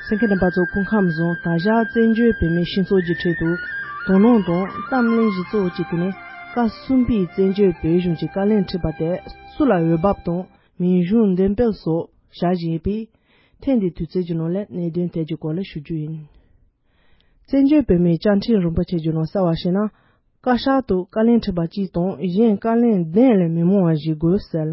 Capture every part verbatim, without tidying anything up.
གསན་མཁན་རྣམ་པ་ཚོ་སྐུ་ཁམས་བཟང་། ད་ཆ་བཙན་བྱོལ་བོད་མིའི་སྤྱི་ཚོགས་ཀྱི་ཁྲོད་དུ་དོ་སྣང་དང་གཏམ་གླེང་གཞི་གཙོ་བོ་གཅིག་དེ་ནི་བཀའ་གསུམ་པའི་བཙན་བྱོལ་བོད་གཞུང་གི་བཀའ་བློན་ཁྲི་པ་དེ་སུ་ལ་འོས་འབབ་དང་མིང་གཞུང་འདེམས་སྤེལ་སོགས་བྱ་བཞིན་ཡོད་པས། ཐེངས་འདིའི་དུས་ཚོད་ཀྱི་ནང་ལ་གནད་དོན་དེ་གྱི་སྐོར་ལ་ཞུ་རྒྱུ་ཡིན། བཙན་བྱོལ་བོད་མིའི་བཅའ་ཁྲིམས་རིན་པོ་ཆེ་གྱི་ནང་གསལ་བ་བྱས་ན། བཀའ་ཤག་ཏུ་བཀའ་བློན་ཁྲི་པ་གཅིག་དང་གཞན་བཀའ་བློན་གདན་ལས་མི་མང་བ་ཞིག་དགོས་གསལ།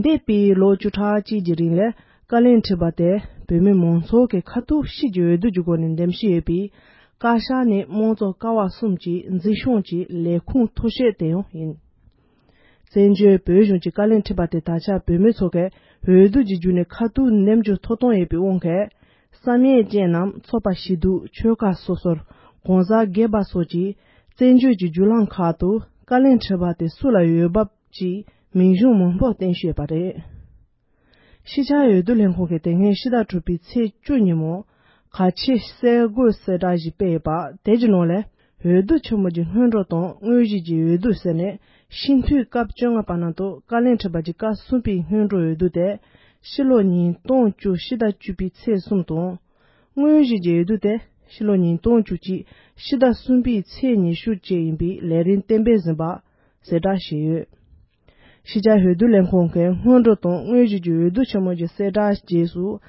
འདས་པའི་ལོ་བཅུ་ཕྲག་གཅིག་གི་རིང་ལ་བཀའ་བློན་ཁྲི་པ་དེ་བོད་མི་མང་ཚོགས་ཀྱི་ཁ་ཐུག་ཕྱི་གྱི་འོས་བསྡུ་གྱི་སྒོ་ནས་འདེམས་ཤིང་ཡོད་པས། བཀའ་ཤག་ནི་དམངས་གཙོ་ཀ་བ་གསུམ་གྱི་འཛིན་སྐྱོང་གི་ལས་ཁུངས་མཐོ་ཤོས་དེ་ཡང་ཡིན། བཙན་བྱོལ་བོད་གཞུང་གི་བཀའ་བློན་ཁྲི་པ་དེ་ད་ཆ་བོད་མི་ཚོ་གིས་འོས་བསྡུ་གྱི་བརྒྱུད་ནས་ཁ་ཐུག་འདེམས་རྒྱུ་ཐོབ་ཐང་ཡོད་པའི་དབང་གིས། བསམ་ཡས་ཅན་རྣམས་ཚོགས་པ་ཞེ་དྲུག་ཆོལ་ཁ་སོ་སོར་གང་ཟག་སྒེར་པ་སོགས་ཀྱིས་བཙན་བྱོལ་གྱི་བརྒྱུད་ལམ་ཁག་ཏུ་བཀའ་བློན་ཁྲི་པ་དེ་སུ་ལ་འོས་འབབ་ཀྱི་མིང་གཞུང་མང་པོ་བསྟན་བཞིན་ཡོད་པ་རེད། ཕྱི་རྒྱལ་འོས་བསྡུ་ལས་ཁང་གིས་དེ་སྔའི་ཕྱི་ཟླ་དྲུག་པའི་ཚེས་བཅུ་ཉིན་མོ་གལ་ཆེའི་གསར་འགོད་གསལ་བསྒྲགས་ཤིག་སྤེལ་ཡོད་པ་དེ་གྱི་ནང་ལས། འོས་བསྡུ་ཆེན་མོ་གྱི་སྔོན་འགྲོ་དང་དངོས་གཞི་གྱི་འོས་བསྡུ་ཟེར་ནས་སྤྱི་འཐུས་སྐབས་བཅོ་ལྔ་པ་ནང་དུ་བཀའ་བློན་ཁྲི་པ་གྱི་བཀའ་གསུམ་པའི་སྔོན་འགྲོ་འོས་བསྡུ་དེ་ཕྱི་ལོ་ཉིས་སྟོང་བཅུ་ཕྱི་ཟླ་བཅུ་པའི་ཚེས་གསུམ་དང་། དངོས་གཞི་གྱི་འོས་བསྡུ་དེ་ཕྱི་ལོ་ཉིས་སྟོང་བཅུ་གཅིག་ཕྱི་ཟླ་གསུམ་པའི་ཚེས་ཉི་ཤུ་བཅས་ཡིན་པའི་ལས་རིམ་གཏན་འབེབས་ཟིན་པ་གསལ་བསྒྲགས་བྱས་ཡོད། ཕྱི་རྒྱལ་འོས་བསྡུ་ལས་ཁང་གིས་སྔོན་འགྲོ་དང་དངོས་གཞི་གྱི་འོས་བསྡུ་ཆེན་མོ་གྱི་གསལ་བསྒྲགས་རྗེས་སུ།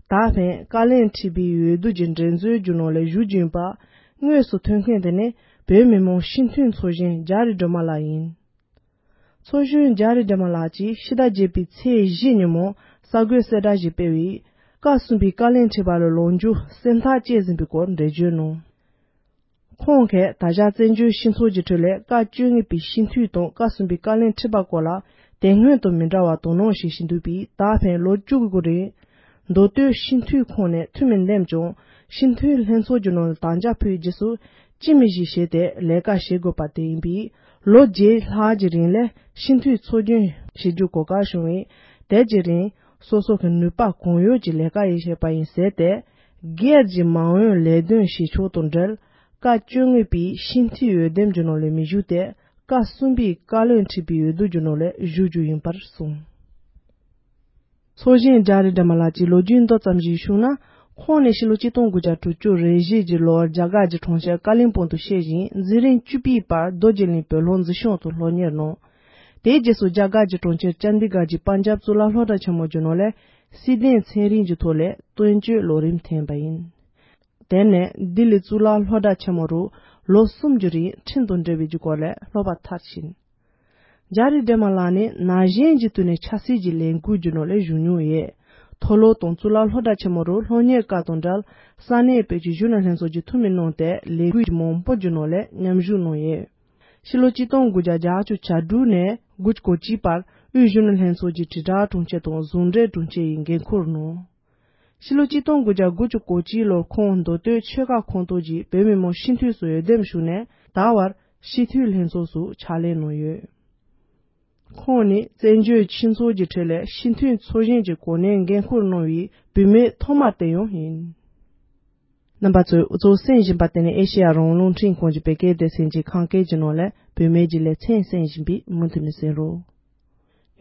ད་ཕན་བཀའ་བློན་ཁྲི་པའི་འོས་བསྡུ་གྱི་འགྲན་རྩོད་རྒྱུ་ནོར་ལས་ཞུགས་ཀྱིན་པ། དངོས་སུ་ཐོན་མཁན་དེ་ནི་བོད་མི་མང་སྤྱི་འཐུས་ཚོགས་གཞོན་རྒྱ་རི་སྒྲོལ་མ་ལགས་ཡིན། ཚོགས་གཞོན་རྒྱ་རི་སྒྲོལ་མ་ལགས་ཀྱིས་ཕྱི་ཟླ་བརྒྱད་པའི་ཚེས་བཞི་ཉིན་མོ་གསར་འགོད་གསལ་བསྒྲགས་ཤིག་སྤེལ་བའི། བཀའ་གསུམ་པའི་བཀའ་བློན་ཁྲི་པ་ལ་ལོ་མཇུག་སེམས་ཐག་བཅད་ཟིན་པའི་སྐོར་འགྲེལ་བརྗོད་གནང་། ཁོང་གིས་ད་ཆ་བཙན་བྱོལ་སྤྱི་ཚོགས་ཀྱི་ཁྲོད་ལས་བཀའ་བཅོ་ལྔ་པའི་སྤྱི་འཐུས་དང་བཀའ་གསུམ་པའི་བཀའ་བློན་ཁྲི་པ་སྐོར་ལ་དེ་སྔོན་དང་མི་འདྲ་བར་དོ་སྣང་བྱེད་བཞིན་འདུག་པས། ད་ཕན་ལོ་བཅུ་གི་གོ་རིང་མདོ་སྟོད་སྤྱི་འཐུས་ཁོངས་ནས་འཐུས་མི་འདེམས་ཀྱང་སྤྱི་འཐུས་ལྷན་ཚོགས་ཀྱི་ནང་ལ་དམ་བཅའ་ཕུལ་རྗེས་སུ་སྤྱི་མི་ཞིག་བྱས་ཏེ་ལས་ཀ་བྱེད་དགོས་པ་དེ་ཡིན་པས། ལོ་བརྒྱད་ལྷག་གི་རིང་ལས་སྤྱི་འཐུས་ཚོགས་རྒྱུན་བྱེད་རྒྱུ་གོ་སྐབས་བྱུང་བས། དེ་གི་རིང་སོ་སོ་གི་ནུས་པ་གང་ཡོད་ཀྱིས་ལས་ཀ་ཡང་བྱས་པ་ཡིན་ཟེར་ཏེ། སྒེར་གྱི་མ་འོངས་ལས་དོན་བྱེད་ཕྱོགས་དང་འབྲེལ། བཀའ་བཅོ་ལྔ་པའི་སྤྱི་འཐུས་འོས་འདེམས་ཀྱི་ནང་ལས་མི་ཞུགས་ཏེ། བཀའ་གསུམ་པའི་བཀའ་བློན་ཁྲི་པའི་འོས་བསྡུ་གྱི་ནང་ལས་ཞུགས་རྒྱུ་ཡིན་པར་གསུངས། ཚོགས་གཞོན་རྒྱ་རི་སྒྲོལ་མ་ལགས་ཀྱི་ལོ་རྒྱུས་མདོ་ཙམ་ཞིག་ཞུས་ན། ཁོང་ནི་ཕྱི་ལོ་གཅིག་སྟོང་དགུ་བརྒྱ་དྲུག་ཅུ་རེ་བཞི་གི་ལོར་རྒྱ་གར་གྱི་གྲོང་ཁྱེར་ཀ་ལིམ་པོང་དུ་སྐྱེས་ཤིང་། འཛིན་རིམ་བཅུ་པའི་བར་རྡོ་རྗེ་གླིང་བོད་སློབ་འཛིན་སྐྱོང་དུ་སློབ་གཉེར་གནང་། དེའི་རྗེས་སུ་རྒྱ་གར་གྱི་གྲོང་ཁྱེར་ཅན་དི་གར་གྱི་པན་ཇབ་གཙུག་ལག་སློབ་གྲྭ་ཆེན་མོ་གྱི་ནང་ལས་སྲིད་དོན་ཚན་རིག་གི་ཐོག་ལས་བསྟན་བཅོས་ལོ་རིམ་ཐོན་པ་ཡིན། དེ་ནས་ལྡི་ལི་གཙུག་ལག་སློབ་གྲྭ་ཆེན་མོ་རུ་ལོ་གསུམ་གྱི་རིང་ཁྲིམས་དང་འབྲེལ་བའི་སྐོར་ལས་སློབ་པ་མཐར་ཕྱིན། རྒྱ་རི་སྒྲོལ་མ་ལགས་ནི་ན་གཞོན་གྱི་དུས་ནས་ཆབ་སྲིད་ཀྱི་ལས་འགུལ་གྱི་ནང་ལས་ཞུགས་མྱོང་ཡོད། མཐོ་སློབ་དང་གཙུག་ལག་སློབ་གྲྭ་ཆེན་མོ་རུ་སློབ་གཉེར་སྐབས་དང་འབྲེལ། ས་གནས་བོད་ཀྱི་གཞོན་ནུ་ལྷན་ཚོགས་ཀྱི་འཐུས་མི་གནང་སྟེ། ལས་འགུལ་མང་པོ་གྱི་ནང་ལས་མཉམ་ཞུགས་གནང་ཡོད། ཕྱི་ལོ་གཅིག་སྟོང་དགུ་བརྒྱ་བརྒྱད་ཅུ་གྱ་དྲུག་ནས་དགུ་བཅུ་གོ་གཅིག་བར་དབུས་གཞོན་ནུ་ལྷན་ཚོགས་ཀྱི་དྲིལ་བསྒྲགས་དྲུང་ཆེ་དང་ཟུང་འབྲེལ་དྲུང་ཆེ་ཡི་འགན་འཁུར་གནང་། ཕྱི་ལོ་གཅིག་སྟོང་དགུ་བརྒྱ་དགུ་བཅུ་གོ་གཅིག་ལོར་ཁོང་མདོ་སྟོད་ཆོལ་ཁ་ཁོངས་གཏོགས་ཀྱི་བོད་མི་མང་སྤྱི་འཐུས་སུ་འོས་འདེམས་ཞུས་ནས། ད་བར་སྤྱི་འཐུས་ལྷན་ཚོགས་སུ་ཕྱག་ལས་གནང་ཡོད། ཁོང་ནི་བཙན་བྱོལ་སྤྱི་ཚོགས་ཀྱི་ཁྲོད་ལས་སྤྱི་འཐུས་ཚོགས་གཞོན་གྱི་གོ་གནས་འགན་འཁུར་གནང་བའི་བུད་མེད་ཐོག་མ་དེ་ཡང་ཡིན། རྣམ་པ་ཚོས་འུ་ཚོ་གསན་བཞིན་པ་དེ་ནི་ཨེ་ཤེ་ཡ་རང་དབང་རླུང་འཕྲིན་ཁང་གི་བོད་སྐད་སྡེ་ཚན་གྱི་ཁམས་སྐད་ཀྱི་ནང་ལས་བུད་མེད་ཀྱི་ལེ་ཚན་གསན་བཞིན་པས། མུ་མཐུད་ནས་གསན་རོགས།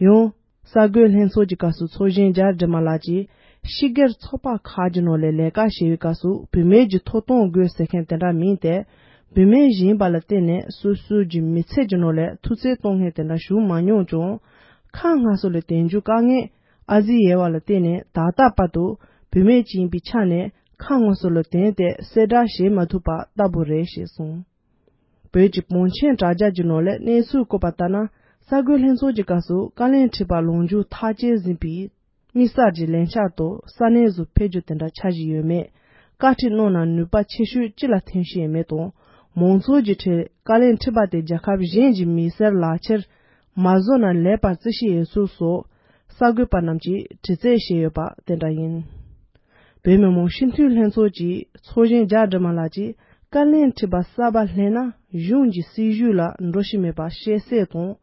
ཡང་། གསར་འགོད་ལྷན་ཚོགས་ཀྱི་སྐབས་སུ་ཚོགས་གཞོན་རྒྱ་རི་སྒྲོལ་མ་ལགས་ཀྱིས། སྤྱི་སྒེར་ཚོགས་པ་ཁག་གི་ནང་ལས་ལས་ཀ་བྱེད་པའི་སྐབས་སུ་བུད་མེད་ཀྱི་ཐོབ་ཐང་དགོས་ཟེར་མཁན་དེ་འདྲ་མིན་ཏེ། བུད་མེད་ཡིན་པ་ལ་བརྟེན་ནས་སོ་སོའི་མི་ཚེ་གི་ནང་ལས་ཐུགས་བརྩེ་གཏོང་མཁན་དེ་འདྲ་བྱུང་མ་མྱོང་ཀྱང་། ཁ་སྔ་སོ་ལ་དེང་རྒྱུ་དཀའ་ངལ་ཨ་ཙི་ཡོད་པ་ལ་བརྟེན་ནས། ད་ལྟ་བར་དུ་བུད་མེད་ཅིག་ཡིན་པའི་ཆ་ནས་ཁ་སྔ་སོ་ལ་དེང་དེ་གསལ་བསྒྲགས་བྱེད་མ་ཐུབ་པ་ལྟ་བུ་རེད་ཞེས་གསུངས། བོད་ཀྱི་བང་ཆེན་དྲ་རྒྱ་གྱི་ནང་ལས་གནས་ཚུལ་བཀོད་པ་ལྟར་ན། གསར་འགོད་ལྷན་ཚོགས་ཀྱི་སྐབས་སུ་བཀའ་བློན་ཁྲི་པ་ལོ་མཇུག་ཐག་བཅད་ཟིན་པའི་དམིགས་བསལ་གྱི་ལས་འཆར་དུ་ས་གནས་སུ་ཕེབས་རྒྱུ་དེ་འདྲ་འཆར་གཞི་ཡོད་མེད། བཀའ་ཁྲིད་གནང་ན་ནུས་པ་ཆེ་ཤོས་ཅི་ལ་ཐོན་བཞིན་ཡོད་མེད་དང་། མང་ཚོགས་ཀྱི་ཁྲོད་བཀའ་བློན་ཁྲི་པ་དེ་རྒྱལ་ཁབ་གཞན་གྱི་མི་སེར་ལག་ཁྱེར་མ་བཟོ་ན་ལེགས་པར་བརྩི་བཞིན་ཡོད་ཚུལ་སོགས། གསར་འགོད་པ་རྣམས་ཀྱིས་དྲི་རྩད་བྱས་ཡོད་པ་དེ་འདྲ་ཡིན། བོད་མི་མང་སྤྱི་འཐུས་ལྷན་ཚོགས་ཀྱི་ཚོགས་གཞོན་རྒྱ་སྒྲོལ་མ་ལགས་ཀྱིས། བཀའ་བློན་ཁྲི་པ་གསར་པ་སླེབས་ན་གཞུང་གི་སྲིད་བྱུས་ལ་འགྲོ་བཞིན་མེད་པ་ཤེས་གསལ་དང་།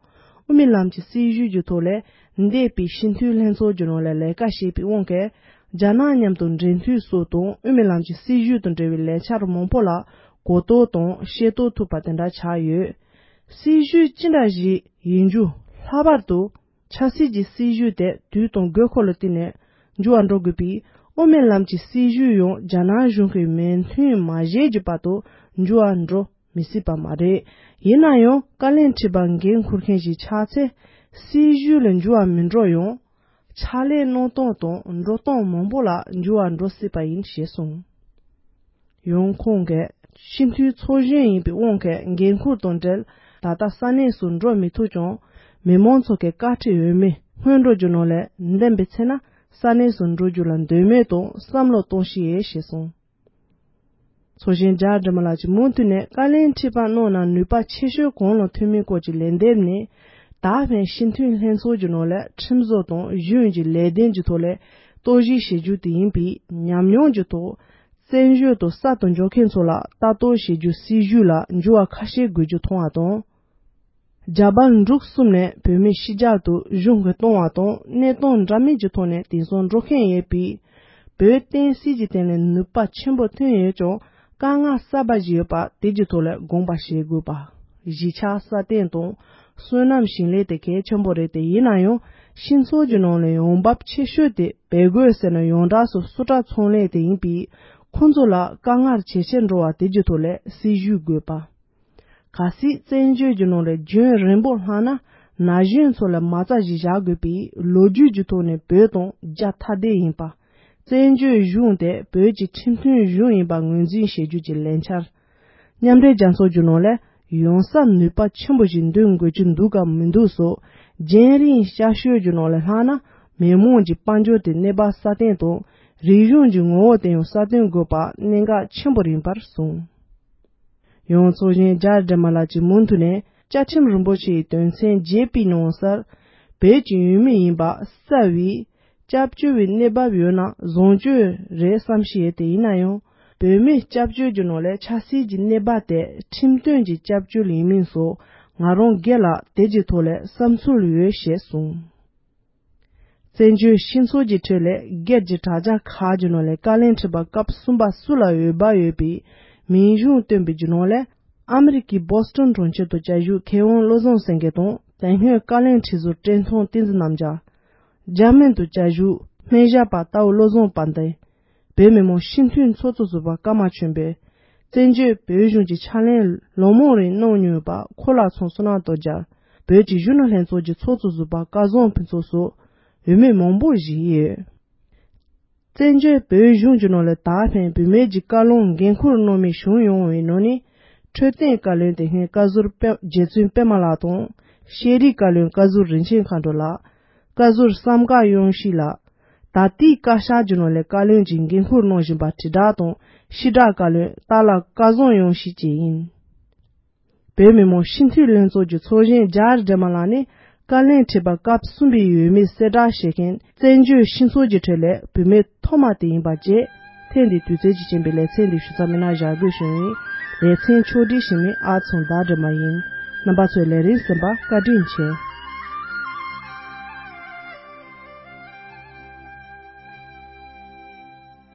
དབུ་མའི་ལམ་གྱི་སྲིད་བྱུས་ཀྱི་ཐོག་ལས་འདས་པའི་སྤྱི་འཐུས་ལྷན་ཚོགས་ཀྱི་ནང་ལས་ལས་ཀ་བྱས་པའི་དབང་གིས། རྒྱ་ནག་མཉམ་དུ་འབྲེལ་མཐུད་སོགས་དང་དབུ་མའི་ལམ་གྱི་སྲིད་བྱུས་དང་འབྲེལ་བའི་ལས་འཆར་མང་པོ་ལ་གོ་རྟོགས་དང་ཤེས་རྟོགས་ཐུབ་པ་དེ་འདྲ་ཆགས་ཡོད། སྲིད་བྱུས་ཅི་འདྲ་ཞིག་ཡིན་རྒྱུ་ལྷག་པར་དུ། ཆབ་སྲིད་ཀྱི་སྲིད་བྱུས་དེ་དུས་དང་དགོས་མཁོ་ལ་བསྟུན་ནས་འགྱུར་བ་འགྲོ་དགོས་པས། དབུ་མའི་ལམ་གྱི་སྲིད་བྱུས་ཡང་རྒྱ་ནག་གཞུང་གི་མོས་མཐུན་མ་བྱས་ཀྱི་བར་དུ་འགྱུར་བ་འགྲོ་མི་སྲིད་པ་མ་རེད། ཡིན་ན་ཡང་བཀའ་ལན་ཁྲི་པ་འགན་འཁུར་མཁན་ཞིག་ཆགས་ཚེ་སྲིད་བྱུས་ལ་འགྱུར་བ་མི་འགྲོ་ཡང་། ཕྱག་ལས་གནང་སྟངས་དང་འགྲོ་སྟངས་མང་པོ་ལ་འགྱུར་བ་འགྲོ་སྲིད་པ་ཡིན་ཞེས་གསུངས། ཡང་ཁོང་གིས་སྤྱི་འཐུས་ཚོགས་གཞོན་ཡིན་པའི་དབང་གིས་འགན་འཁུར་དང་འབྲེལ་ད་ལྟ་ས་གནས་སུ་འགྲོ་མི་ཐུབ་ཀྱང་། མི་མང་ཚོ་གི་བཀའ་ཁྲིད་འོས་མི་སྔོན་འགྲོ་རྒྱུ་ནང་ལས་འདེམས་པའི་ཚེ་ན་ས་གནས་སུ་འགྲོ་རྒྱུ་ལ་འདོད་མོས་དང་བསམ་བློ་གཏོང་བཞིན་ཡོད་ཞེས་གསུངས། ཚོགས་གཞོན་ཇར་ཌི་མ་ལགས་ཀྱིས་མུ་མཐུད་ནས་བཀའ་ལན་ཁྲི་པ་གནང་ན་ནུས་པ་ཆེ་ཤོས་གང་ལ་ཐོན་མིན་སྐོར་གྱི་ལན་འདེབས་ནས། ད་ཕན་སྤྱི་འཐུས་ལྷན་ཚོགས་ཀྱི་ནང་ལས་ཁྲིམས་བཟོ་དང་གཞུང་གི་ལས་དོན་གྱི་ཐོག་ལས་རྟོག་ཞིབ་བྱེད་རྒྱུ་དེ་ཡིན་པས། ཉམས་མྱོང་གི་ཐོག་བཙན་བྱོལ་དུ་གསར་དུ་འབྱོར་མཁན་ཚོ་ལ་ལྟ་རྟོག་བྱེད་རྒྱུ་སྲིད་བྱུས་ལ་འགྱུར་བ་ཁ་ཤས་དགོས་རྒྱུ་མཐོང་བ་དང་། རྒྱ་བལ་འབྲུག་གསུམ་ནས་བོད་མི་ཕྱི་རྒྱལ་དུ་གཞུང་གིས་གཏོང་བ་དང་གནས་སྟངས་འདྲ་མིན་གྱི་ཐོག་ནས་དེང་སང་འགྲོ་མཁན་ཡོད་པས། བོད་བསྟན་སྲིད་ཀྱི་སྟེང་ནས་ནུས་པ་ཆེན་པོ་ཐོན་ཡོད་ཀྱང་། དཀའ་ངལ་གསར་པ་ཞིག་ཡོད་པ་དེ་གྱི་ཐོག་ལས་དགོངས་པ་བཞེས་དགོས་པ། གཞིས་ཆགས་སྲ་བརྟན་དང་སོ་ནམ་ཞིང་ལས་དེ་གལ་ཆེན་པོ་རེད་དེ། ཡིན་ན་ཡང་སྤྱི་ཚོགས་ཀྱི་ནང་ནས་ཡོང་འབབ་ཆེ་ཤོས་དེ་བལ་གོས་ཟེར་ན་ཡོངས་གྲགས་སུ་སུ་ཊར་ཚོང་ལས་དེ་ཡིན་པས། ཁོང་ཚོ་ལ་དཀའ་ངལ་ཇེ་ཆེར་འགྲོ་བ་དེ་གྱི་ཐོག་ལས་སྲིད་ཇུས་དགོས་པ། གལ་སྲིད་བཙན་བྱོལ་གྱི་ནང་ལ་རྒྱུན་རིང་པོ་ལྷག་ན་ན་གཞོན་ཚོ་ལ་མ་རྩ་ཞིག་བཞག་དགོས་པས། ལོ་རྒྱུས་ཀྱི་ཐོག་ནས་བོད་དང་རྒྱ་ཐ་དད་ཡིན་པ། བཙན་བྱོལ་གཞུང་དེ་བོད་ཀྱི་ཁྲིམས་མཐུན་གཞུང་ཡིན་པ་ངོས་འཛིན་བྱེད་རྒྱུ་གྱི་ལས་འཆར། མཉམ་འབྲེལ་རྒྱལ་ཚོགས་ཀྱི་ནང་ལ་ཡོང་ས་ནུས་པ་ཆེན་པོ་ཞིག་འདོན་དགོས་ཀྱི་འདུག་གམ་མི་འདུག་སོགས། རྒྱང་རིང་སྐྱབས་བཅོལ་གྱི་ནང་ལ་ལྷག་ན་མི་མང་གྱི་དཔལ་འབྱོར་དེ་གནས་བབ་སྲ་བརྟན་དང་། རིག་གཞུང་གི་ངོ་བོ་དེ་ཡང་སྲ་བརྟན་དགོས་པ་གནད་འགག་ཆེན་པོ་ཡིན་པར་གསུངས། ཡང་ཚོགས་གཞོན་ཇར་ཌི་མ་ལགས་ཀྱིས་མུ་མཐུད་ནས་བཅའ་ཁྲིམས་རིན་པོ་ཆེའི་དོན་ཚན་བརྒྱད་པའི་ནང་གསལ། བོད་ཀྱི་ཡུལ་མི་ཡིན་པ་གསལ་བའི་སྐྱབས་བཅོལ་བའི་གནས་བབ་ཡོད་ན་བཟང་སྤྱོད་རེད་བསམ་ཤེས་ཡོད་དེ། ཡིན་ན་ཡང་བོད་མི་སྐྱབས་བཅོལ་གྱི་ནང་ལས་ཆབ་སྲིད་ཀྱི་གནས་བབ་དེ་ཁྲིམས་མཐུན་གྱི་སྐྱབས་བཅོལ་ཡིན་མིན་སོགས་ང་རང་སྒེར་ལ་དེ་གྱི་ཐོག་ལས་བསམ་ཚུལ་ཡོད་ཞེས་གསུངས། བཙན་བྱོལ་སྤྱི་ཚོགས་ཀྱི་ཁྲོད་ལས་སྒེར་གྱི་དྲ་རྒྱ་ཁག་གི་ནང་ལས་བཀའ་ལན་ཁྲི་པ་སྐབས་གསུམ་པ་སུ་ལ་འོས་འབབ་ཡོད་པའི་མིང་གཞུང་བཏོན་པའི་རྒྱུ་ནོར་ལས། ཨ་མི་རི་ཀའི་བོ་སི་ཊོན་གྲོང་ཁྱེར་དུ་བཅའ་བཞུགས་མཁས་དབང་བློ་བཟང་སེང་གེ་དང་དེ་སྔོན་བཀའ་ལན་ཁྲི་ཟུར་བཀྲས་མཐོང་བསྟན་འཛིན་རྣམ་རྒྱལ། འཇར་མན་དུ་བཅའ་བཞུགས་སྨན་ཞབས་པ་རྟའུ་བློ་བཟང་དཔལ་ལྡན། བོད་མི་མང་སྤྱི་འཐུས་ཚོགས་གཙོ་ཟུར་པ་ཀརྨ་ཆོས་འཕེལ། བཙན་བྱོལ་བོད་གཞུང་གི་ཕྱག་ལེན་ལོ་མང་རིང་གནང་མྱོང་ཡོད་པ་ཁོ་ལག་ཚང་བསོད་ནམས་སྟོབས་རྒྱལ། བོད་ཀྱི་གཞོན་ནུ་ལྷན་ཚོགས་ཀྱི་ཚོགས་གཙོ་ཟུར་པ་སྐལ་བཟང་ཕུན་ཚོགས་སོགས་འོས་མི་མང་པོ་ཞིག་ཡོད། བཙན་བྱོལ་བོད་གཞུང་གི་ནང་ལ་ད་ཕན་བུད་མེད་ཀྱི་བཀའ་བློན་འགན་འཁུར་གནང་མི་བྱུང་ཡོང་བའི་ནང་ནས། འཕྲོད་བསྟེན་བཀའ་བློན་དེ་སྔའི་བཀའ་ཟུར་པད་རྗེ་བཙུན་པད་མ་ལགས་དང་། ཤེས་རིག་བཀའ་བློན་བཀའ་ཟུར་རིན་ཆེན་མཁའ་འགྲོ་ལགས། བཀའ་ཟུར་བསམ་དཀར་དབྱངས་སྐྱིད་ལགས། ད་ལྟའི་བཀའ་ཤག་གི་ནང་ལས་བཀའ་བློན་གྱི་འགན་འཁུར་གནང་བཞིན་པ་དྲིལ་བསྒྲགས་དང་ཕྱི་བསྒྲགས་བཀའ་བློན་སྟག་ལྷ་སྐལ་བཟང་དབྱངས་སྐྱིད་བཅས་ཡིན། བོད་མི་མང་སྤྱི་འཐུས་ལྷན་ཚོགས་ཀྱི་ཚོགས་གཞོན་ཇར་ཌི་མ་ལགས་ནི་བཀའ་བློན་ཁྲི་པ་སྐབས་གསུམ་པའི་འོས་མི་གསལ་བསྒྲགས་བྱེད་མཁན་བཙན་བྱོལ་སྤྱི་ཚོགས་ཀྱི་ཁྲོད་ལས་བུད་མེད་ཐོག་མ་དེ་ཡིན་པ་བཅས། ཐེངས་འདིའི་དུས་ཚོད་ཀྱི་རྐྱེན་པས་ལེ་ཚན་འདི་ཞུ་ཚར་མི་ནང་བཞག་དགོས་བྱུང་ཡིན། ལེ་ཚན་ཕྱོགས་སྒྲིག་ཞུ་མི་ཨ་ཚང་ཟླ་སྒྲོལ་མ་ཡིན། རྣམ་པ་ཚོས་ལས་རིམ་གསན་པར་བཀའ་དྲིན་ཆེ།